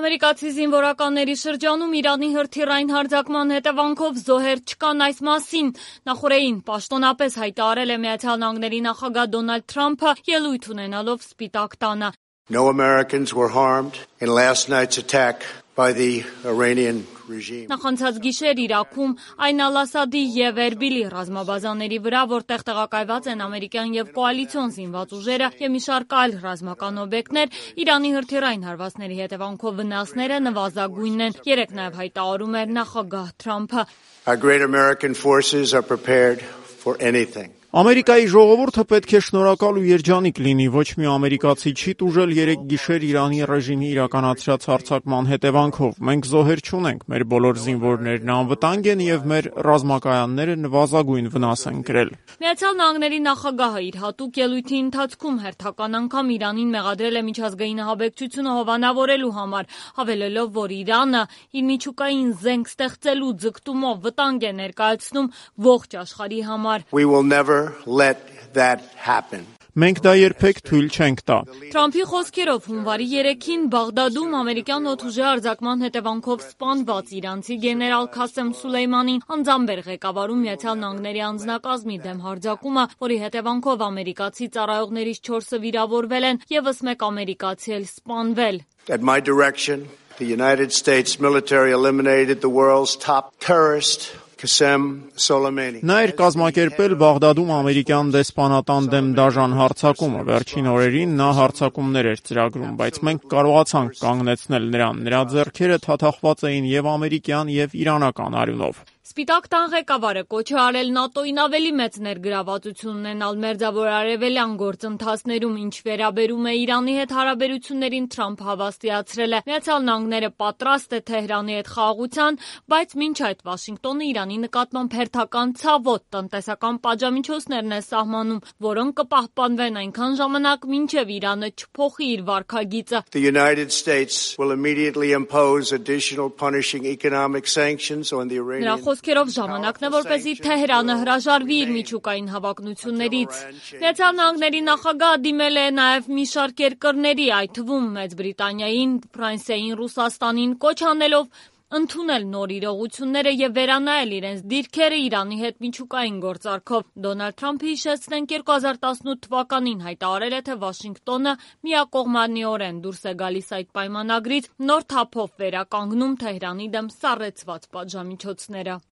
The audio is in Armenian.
Ամերիկացի զինվորականների շրջանում Իրանի հրթիռային հարձակման հետևանքով զոհեր չկան այս մասին նախօրեին պաշտոնապես հայտարարել է Միացյալ Նահանգների նախագահ Դոնալդ Թրամփը ելույթ ունենալով Սպիտակ տանը. No Americans were harmed in last night's attack by the Iranian regime. Նախանցած գիշեր Իրաքում Այն Ալ-Ասադի եւ Էրբիլի ռազմաբազաների վրա, որտեղ տեղակայված են ամերիկյան եւ կոալիցիոն զինված ուժերը եւ մի շարք այլ ռազմական օբյեկտներ, Իրանի հրթիռային հարվածների հետևանքով վնասները նվազագույնն են, երեկ նաեւ հայտարարում էր նախագահ Թրամփը. Our great American forces are prepared for anything. Ամերիկայի ժողովուրդը պետք է շնորհակալ ու երջանիկ լինի, ոչ մի ամերիկացի չի տուժել երեք գիշեր Իրանի ռեժիմի իրականացրած հարձակման հետևանքով։ Մենք զոհեր չունենք, մեր բոլոր զինվորներն անվտանգ են եւ մեր ռազմակայանները նվազագույն վնաս են կրել։ Միացյալ Նահանգների նախագահը իր հատուկ ելույթի ընթացքում հերթական անգամ Իրանին մեղադրել է միջազգային ահաբեկչությունը հովանավորելու համար, հավելելով, որ Իրանը իր միջուկային զենք ստեղծելու ձգտումով վտանգ է ներկայացնում ողջ աշխարհի համար։ We will never let that happen. Մենք դա երբեք թույլ չենք տա։ Թրամփի խոսքերով հունվարի 3-ին Բաղդադում ամերիկյան օդուժի արձակման հետևանքով սպանված իրանցի գեներալ Քասեմ Սուլեյմանին անձամբ էր ղեկավարում Միացյալ Նահանգների անձնակազմի դեմ հարձակումը, որի հետևանքով ամերիկացի ծառայողներից 4-ը վիրավորվել են, ևս մեկ ամերիկացի էլ սպանվել։ At my direction, the United States military eliminated the world's top terrorist Qasem Soleimani. Նա էր կազմակերպել Բաղդադում ամերիկյան դեսպանատան դեմ դաժան հարձակումը։ Վերջին օրերին նա հարձակումներ էր ծրագրում, բայց մենք կարողացանք կանգնեցնել նրան։ Նրա ձեռքերը թաթախված էին եւ ամերիկյան եւ իրանական արյունով։ Սպիտակ տան ղեկավարը կոչ է արել ՆԱՏՕ-ին ավելի մեծ ներգրավվածություն ունենալ մերձավոր արևելյան գործընթացներում, ինչ վերաբերում է Իրանի հետ հարաբերություններին, Թրամփը հավաստիացրել է. Միացյալ Նահանգները պատրաստ է Թեհրանի հետ խաղաղության, բայց մինչ այդ Վաշինգտոնը Իրանի նկատմամբ հերթական ցավոտ տնտեսական պատժամիջոցներն է սահմանում, որոնք կպահպանվեն այնքան ժամանակ, մինչև Իրանը չփոխի իր վարքագիծը։ The United States will immediately impose additional punishing economic sanctions on the Iranian. Խոսքերով ժամանակն է, որպեսզի Թեհրանը հրաժարվի իր միջուկային հավակնություններից։ Միացյալ Նահանգների նախագահը դիմել է նաև մի շարք երկրների, այդ թվում Մեծ Բրիտանիային, Ֆրանսիային, Ռուսաստանին, կոչ անելով ընդունել նոր իրողությունները եւ վերանայել իրենց դիրքերը Իրանի հետ միջուկային գործարքով։ Դոնալդ Թրամփը, հիշեցնենք, 2018 թվականին հայտարարել է, թե Վաշինգտոնը միակողմանիորեն դուրս է գալիս այդ պայմանագրից, նոր թափով վերականգնում Թեհրանի դեմ սառեցված պատժամիջոցները։